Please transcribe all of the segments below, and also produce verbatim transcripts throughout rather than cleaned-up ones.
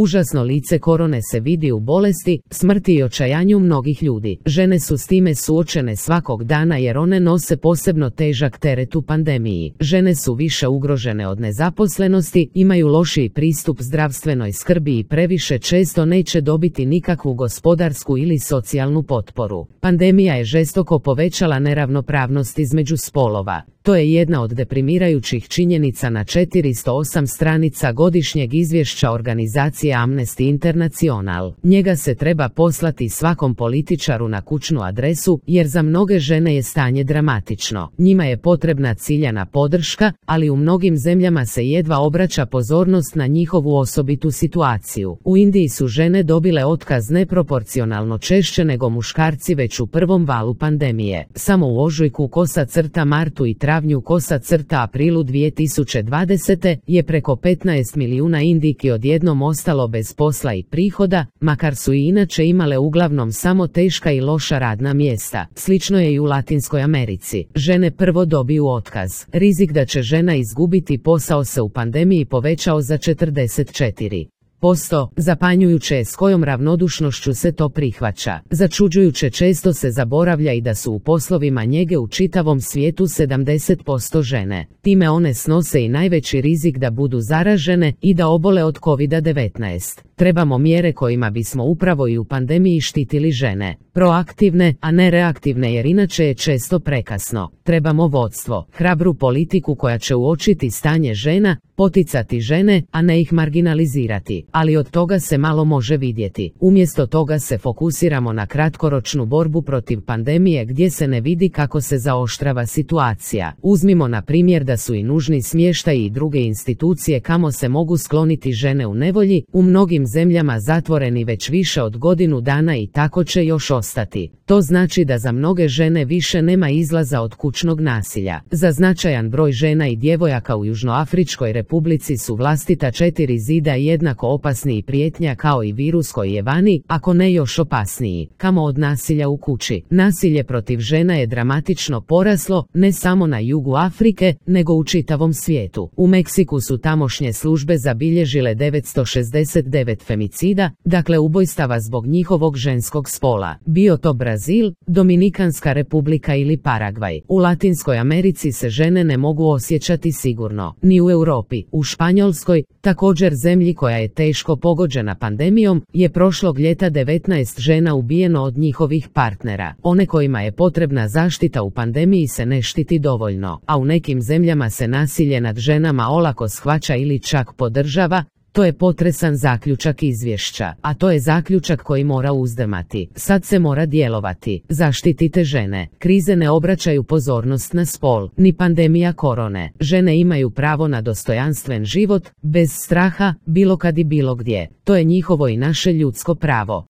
Užasno lice korone se vidi u bolesti, smrti i očajanju mnogih ljudi. Žene su s time suočene svakog dana jer one nose posebno težak teret u pandemiji. Žene su više ugrožene od nezaposlenosti, imaju lošiji pristup zdravstvenoj skrbi i previše često neće dobiti nikakvu gospodarsku ili socijalnu potporu. Pandemija je žestoko povećala neravnopravnost između spolova. To je jedna od deprimirajućih činjenica na četiristo osam stranica godišnjeg izvješća organizacije Amnesty International. Njega se treba poslati svakom političaru na kućnu adresu, jer za mnoge žene je stanje dramatično. Njima je potrebna ciljana podrška, ali u mnogim zemljama se jedva obraća pozornost na njihovu osobitu situaciju. U Indiji su žene dobile otkaz neproporcionalno češće nego muškarci već u prvom valu pandemije. Samo u ožujku kosa crta martu i travnju kosa crta aprilu dvije tisuće dvadesete je preko petnaest milijuna Indijki odjednom ostalo bez posla i prihoda, makar su i inače imale uglavnom samo teška i loša radna mjesta. Slično je i u Latinskoj Americi. Žene prvo dobiju otkaz. Rizik da će žena izgubiti posao se u pandemiji povećao za četrdeset četiri posto. Zapanjujuće je s kojom ravnodušnošću se to prihvaća. Začuđujuće često se zaboravlja i da su u poslovima njege u čitavom svijetu sedamdeset posto žene. Time one snose i najveći rizik da budu zaražene i da obole od kovid devetnaest. Trebamo mjere kojima bismo upravo i u pandemiji štitili žene. Proaktivne, a ne reaktivne, jer inače je često prekasno. Trebamo vodstvo, hrabru politiku koja će uočiti stanje žena, poticati žene, a ne ih marginalizirati. Ali od toga se malo može vidjeti. Umjesto toga se fokusiramo na kratkoročnu borbu protiv pandemije gdje se ne vidi kako se zaoštrava situacija. Uzmimo na primjer da su i nužni smještaji i druge institucije kamo se mogu skloniti žene u nevolji, u mnogim zemljama zatvoreni već više od godinu dana i tako će još ostati. To znači da za mnoge žene više nema izlaza od kućnog nasilja. Za značajan broj žena i djevojaka u Južnoafričkoj Republici su vlastita četiri zida jednako opasni i prijetnja kao i virus koji je vani, ako ne još opasniji. Kamo od nasilja u kući. Nasilje protiv žena je dramatično poraslo, ne samo na jugu Afrike, nego u čitavom svijetu. U Meksiku su tamošnje službe zabilježile devetsto šezdeset devet femicida, dakle ubojstava zbog njihovog ženskog spola. Bio to Brazil, Dominikanska Republika ili Paragvaj. U Latinskoj Americi se žene ne mogu osjećati sigurno. Ni u Europi. U Španjolskoj, također zemlji koja je teško pogođena pandemijom, je prošlog ljeta devetnaest žena ubijeno od njihovih partnera. One kojima je potrebna zaštita u pandemiji se ne štiti dovoljno, a u nekim zemljama se nasilje nad ženama olako shvaća ili čak podržava. To je potresan zaključak izvješća, a to je zaključak koji mora uzdrmati. Sad se mora djelovati. Zaštitite žene. Krize ne obraćaju pozornost na spol, ni pandemija korone. Žene imaju pravo na dostojanstven život, bez straha, bilo kad i bilo gdje. To je njihovo i naše ljudsko pravo.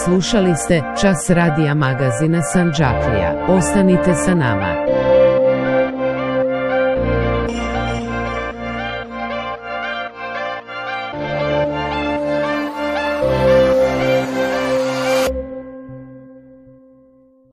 Slušali ste Čas radija magazina Sandžaklija. Ostanite sa nama.